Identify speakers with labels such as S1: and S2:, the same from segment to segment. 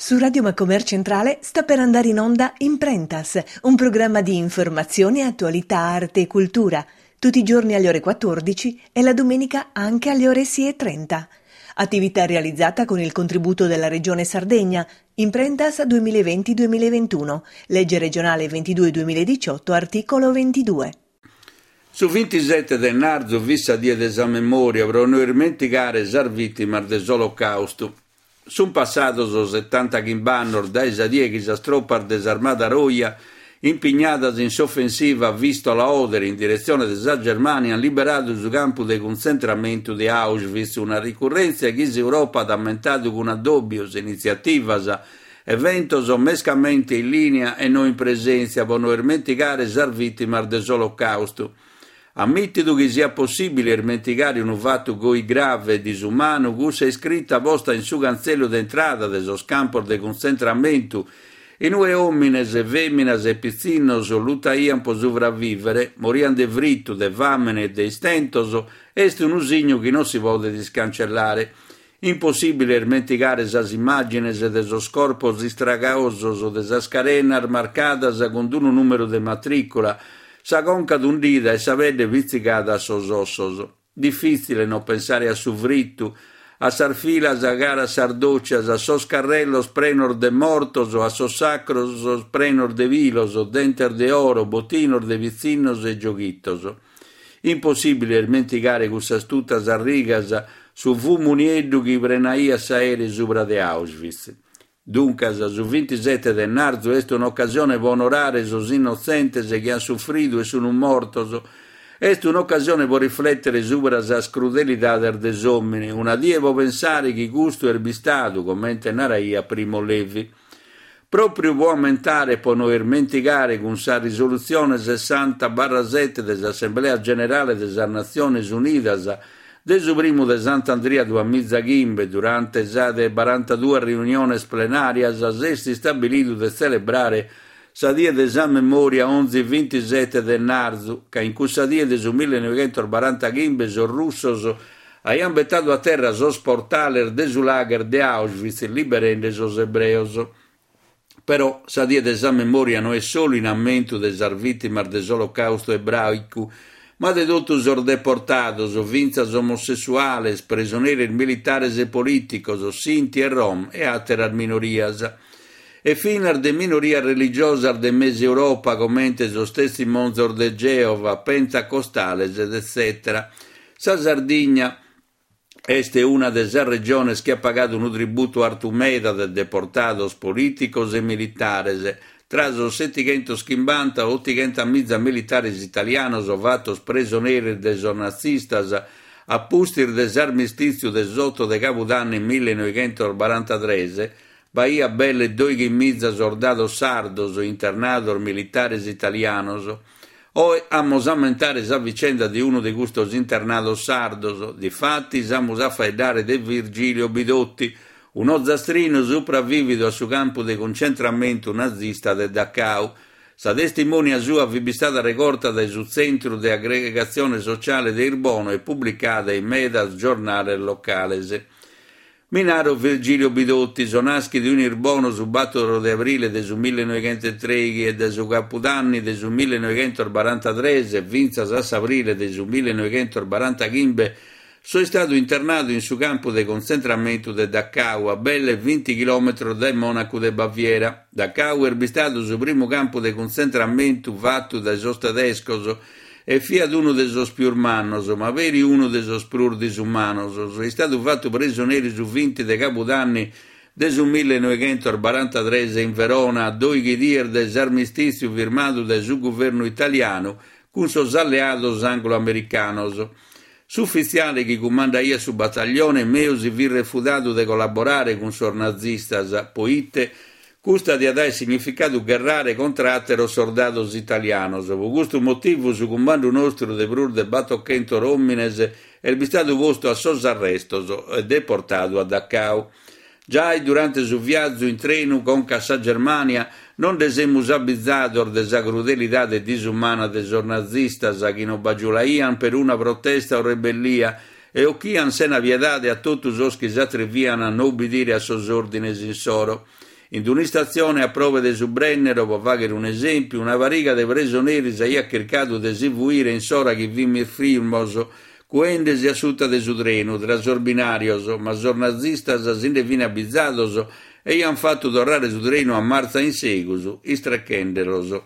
S1: Su Radio Macomer Centrale sta per andare in onda Imprentas, un programma di informazione, attualità, arte e cultura, tutti i giorni alle ore 14 e la domenica anche alle ore 6.30. Attività realizzata con il contributo della Regione Sardegna, Imprentas 2020-2021, legge regionale 22-2018, articolo 22.
S2: Su bintisete de ennarzu fit sa die de sa memòria pro no irmentigare sas vìtimas de s'Olocàustu. Sunt passados setantachimb'annos dae sa die chi sas tropas de s'Armada Roja, impignadas in s'ofensiva Vìstola-Oder in diretzione de sa Germània, ant liberadu su campu de cuntzentramentu de Auschwitz, una ricurrèntzia chi s'Europa at ammentadu cun addòbios, initziativas, Eventos mescamente in lìnia e no in presèntzia pro no irmentigare sas vìtimas de s'Olocàustu. Ammìtidu chi siat possìbile irmentigare unu fatu goi grave e disumanu, cussa iscrita posta in su cantzellu de intrada de sos campos de cuntzentramentu, in ue òmines, fèminas e pitzinnos lutaiant pro subravìvere, moriant de fritu, de fàmene e de istentos, est unu signu chi non si podet iscancellare. Impossìbile irmentigare sas immàgines de sos corpos istragaosos, de sas carenas marcadas cun unu nùmeru de matrìcula, sa conca tundida e sa pedde pitzigada a sos ossos. Difìtzile non pensare a su fritu, a sas filas cara a sas dòcias, a sos carrellos prenos de mortos, a sos sacros prenos de pilos, dentes de oro, botinos de pitzinnos e gioghitos. Impossìbile irmentigare cussas tutas a rigas, su fumu nieddu chi prenaiat s'aeri subra de Auschwitz. Duncas, su bintisete de ennarzu est un'ocasione pro onorare sos innotzentes chi ant sufridu e sunt mortos, est un'ocasione pro riflètere subra sas crudelidades de s'òmine, una die pro pensare chi custu est bistadu, comente naraiat Primo Levi. Pròpriu pro ammentare e pro no irmentigare cun sa risolutzione sessanta barra sete de s'Assemblea Generale de sas Natziones Unidas de su primu de Sant'Andria duamiza chimbe, durante sa de barantaduas riuniones plenàrias s'est istabilidu de tzelebrare sa Die de sa Memòria onzi bintisete de ennarzu, ca in cussa die de su millenoighentosbarantachimbe sos russos Aiant betadu a terra sos portales de su lager de Auschwitz liberende sos ebreos. Però sa Die de sa Memòria no est solu in ammentu de sas vìtimas de s'Olocàustu ebràicu, ma de totu sos deportados, fintzas omosessuales, presoneris militares e polìticos, Sinti e Rom e àteras minorias. E finas de minorias religiosas de mesu Europa comente sos Testimonzos de Geova, Pentacostales, etzètera. Sa Sardigna est una de sas regiones chi at pagadu unu tributu artu meda de deportados polìticos e militares, tra sos setighentoschimbantaottighentas miza militares italianos fatos presoneris de sos nazistas a pustis de s'armistìtziu de s'oto de cabudanni millenoighentosbarantatres, b'aiat belle doighimiza sordados sardos internados militares italianos. Oe amus a ammentare sa vicenda de unu de custos internados sardos, difatis amus a faeddare de Virgilio Bidotti, un'ozastrinu supravìvidu a su campu de cuncentramentu nazista de Dachau. Sa testimonia sua fit bistada regorta dae su Tzentru de Agregatzione Sociale de Irbono e publicada in medas giornales locales. Mi naro Virgilio Bidotti, so nàschidu in Irbono su bàtoro de abrile de su millenoighentotreighi e dae su capudanni de su millenoighentosbarantatres fintzas a s'abrile de su millenoighentosbarantachimbe so istadu internadu in su campu de cuntzentramentu de Dachau, a belle binti chilòmetros dae Mònacu de Baviera. Dachau est bistadu su primu campu de cuntzentramentu fatu dae sos tedescos E fiat unu de sos pius mannos, ma peri unu de sos prus disumanos. So istadu fatu presoneri su vinti de cabudanni de su millenoighentosbarantatres in Verona, a doighi dies dae s'armistìtziu firmadu dae su guvernu italianu cun sos alleados anglo-americanos. S'ufitziale chi cumandaiat su bataglione meu si fit refudadu de collaborare cun sos nazistas, poite Custa diat aer significadu gherrare contra àteros sordados italianos. Pro custu motivu su cumbandu nostru de prus de batochentos òmines est bistadu postu a sos arrestos e deportadu a Dachau. Giai durante su viazu in trenu conca a sa Germània non nde semus abizados de sa crudelidade disumana de sos nazistas chi non bagiulaiant peruna protesta o rebellia e ochiant sena piedade a totu sos chi s'atriviant a no ubbidire a sos òrdines insoro. In un'istatzione a probe de su Brennero, pro fàghere un'esèmpiu, una pariga de presoneris aiat chircadu de si fuire in s'ora chi fimis firmos, cuende-si a suta de su trenu, tra sos binàrios, ma sos nazistas si nde fin abizados e aiant fatu torrare su trenu a martza in segus, istrechende-los.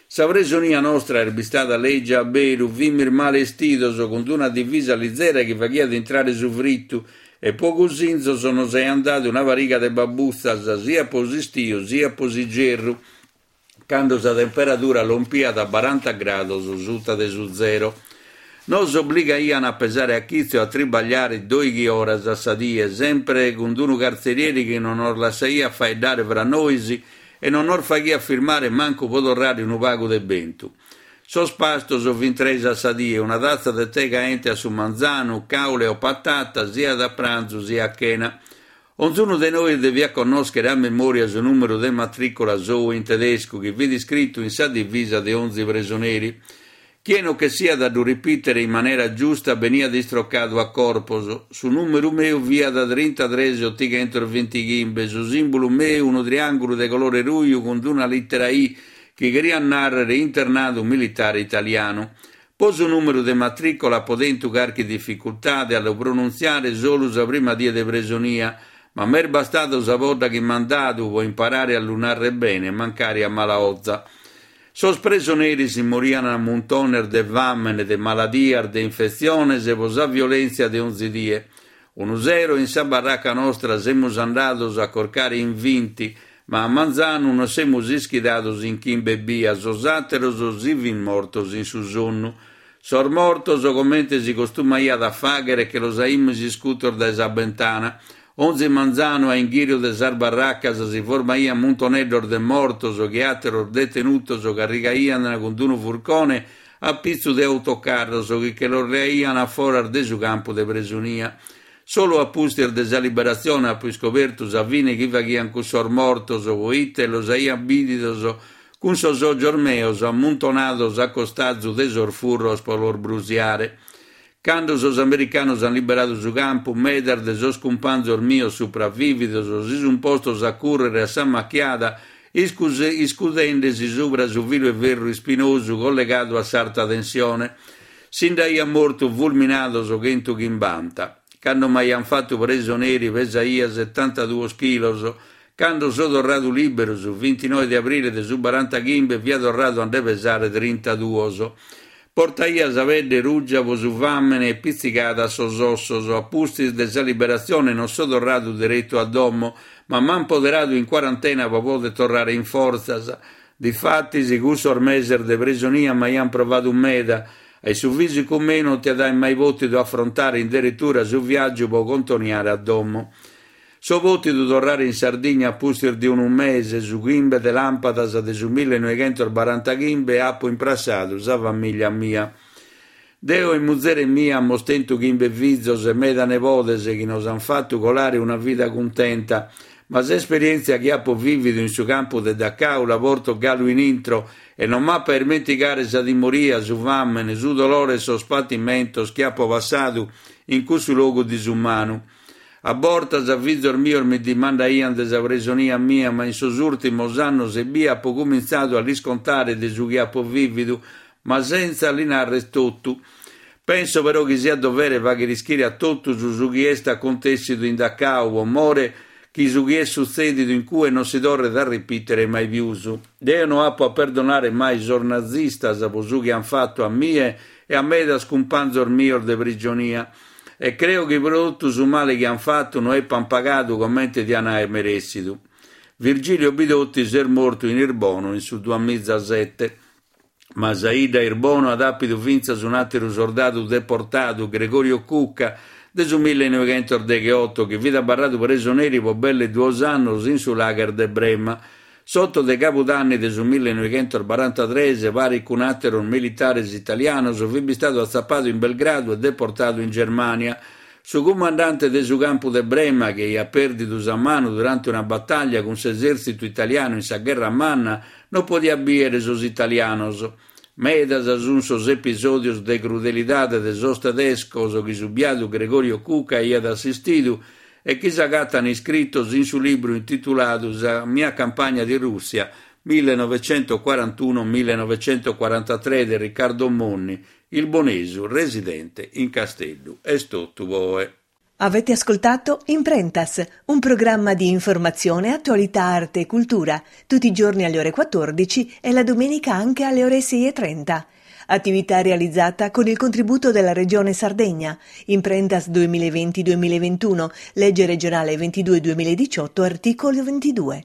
S2: Sa presonia nostra est bistada lègia a beru, fimis male 'estidos, cun una divisa lizera chi faghiat intrare su fritu, e po cusinzos nos aiant dadu una pariga de babbutzas, siat po s'istiu siat po s'igerru, cando sa temperadura lompiat a baranta grados suta de su zero. Nos obligaian a pesare a chitzo e a tribagliare doighi oras a sa die, sempre cun unu cartzerieri chi non nos lassaiat faeddare fra nois e non nos faghiat firmare mancu pro torrare unu pagu de bentu. Sos pastos fin tres a sa die, una tatza de tè caente a su manzanu, caule o patata, siat a pranzu siat a chena. Onzunu de nois deviat connòschere a memòria su nùmeru de matrìcola sou in tedescu chi fit iscritu in sa divisa de onzi presoneri. Chie no chessiat a ddu ripìtere in manera giusta beniat istrocadu a corpos. Su nùmeru meu fiat trintatres otighentos bintighimbe, su sìmbulu meu unu triàngulu de colore ruju cun una lìtera I chi cheriat nàrrere internadu militare italianu. Po su nùmeru de matrìcola apo tentu carchi dificultade a lu pronuntziare solu sa prima die de presonia, ma m'est bastadu sa podda chi m'ant dadu po imparare a lu nàrrere bene, mancari a mala 'oza. Sos presoneris morian a muntones de fàmene, de maladias, de infetziones po sa violèntzia de onzi die. Unu sero in sa barraca nostra semus andados a corcare in vinti, ma a manzanu nos semus ischidados in chimbe ebbia, sos àteros si fin mortos in su sonnu. Sos mortos, comente si costumaiat a fàghere, che los aimus iscutos dae sa bentana. Onzi manzanu a inghìriu de sas barracas si formaiant muntoneddos de mortos chi àteros detenutos carrigaiant cun unu furcone a pitzu de autocarros chi che los leaiant a foras de su campu de presonia. Solu a pustis de sa liberatzione apo iscobertu sa fine chi faghiant cussos mortos, poite los aia bìdidos cun sos ògios meos ammuntonados a costazu de sos furros pro los brusiare. Cando sos americanos ant liberadu su campu, medas de sos cumpanzos mios supravìvidos si sunt postos a cùrrere a s'ammachiada iscudende-si subra su filu 'e ferru ispinosu collegadu a s'arta tensione. Si nd'aiant mortu fulminados chentuchimbanta. Cando m'aiant fatu presoneri pesaia setantaduos chilos. Cando so torradu lìberu su vintinoe de abrile de su barantachimbe fia torradu a nde pesare trintaduos. Portaia sa pedde ruja pro su fàmene e pitzigada a sos ossos. A pustis de sa liberatzione non so torradu deretu a domo, ma m'ant poderadu in cuarantena pro poder torrare in fortzas. Difatis, cussos meses de presonia m'aiant provadu meda e su fìsicu meu non tiat aer mai pòtidu afrontare in deretura su viàgiu pro contoniare a domo. So pòtidu torrare in Sardigna a pustis de unu mese, su chimbe de làmpadas de su millenoighentos-barantachimbe apo imprassadu sa famìllia mia. Deo e muzere mia amus tentu chimbe fizos e meda nebodes chi nos ant fatu colare una vida cuntenta, ma s'esperièntzia chi apo vìvidu in su campu de Dachau la porto galu in intro e non m'apo a ismentigare sa timoria, su fàmene, su dolore e sos patimentos chi apo passadu in cussu logu disumanu. A bortas fizos mios mi dimandaiant de sa presonia mia, ma in sos ùrtimos annos ebbia apo cumintzadu a lis contare de su chi apo vìvidu, ma sentza li narrer totu. Penso però chi siat dovere fàghere ischire a totus su chi est acontèssidu in Dachau, pro more chi su chi est sutzèdidu in cue non si torret a ripìtere mai pius. Deo no apo a perdonare mai sos nazistas pro su chi ant fatu a mie e a medas cumpanzos mios de prigionia. E creo chi pro totu su male chi ant fatu no epant pagadu comente diant aer merèssidu. Virgilio Bidotti s'est mortu in Irbono in su duamizasete. Ma sa 'idda Irbono at àpidu fintzas un'àteru sordadu deportadu, Gregorio Cucca, de su millenoighentosdegheoto, chi fit abarradu presoneri pro belle duos annos in su lager de Brema. S'oto de cabudanni de su millenoighentosbarantatres, paris cun àteros militares italianos, fit bistadu atzapadu in Belgradu e deportadu in Germània. Su cumandante de su campu de Brema, chi aiat pèrdidu sa manu durante una batàllia cun s'esèrtzitu italianu in sa Gherra Manna, non podiat bìere sos italianos. Medas sunt sos episòdios de crudelidade de sos tedescos chi su biadu Gregorio Cucca aiat assistidu. e chi s'agatan iscritos in su libru intituladu Sa mia campagna di Russia 1941 1943 de Riccardo Monni, ilbonesu residente in Casteddu. Est totu po oe.
S1: Avete ascoltato Imprentas, un programma di informazione, attualità, arte e cultura, tutti i giorni alle ore 14 e la domenica anche alle ore 6.30. Attività realizzata con il contributo della Regione Sardegna. Imprentas 2020-2021, legge regionale 22-2018, articolo 22.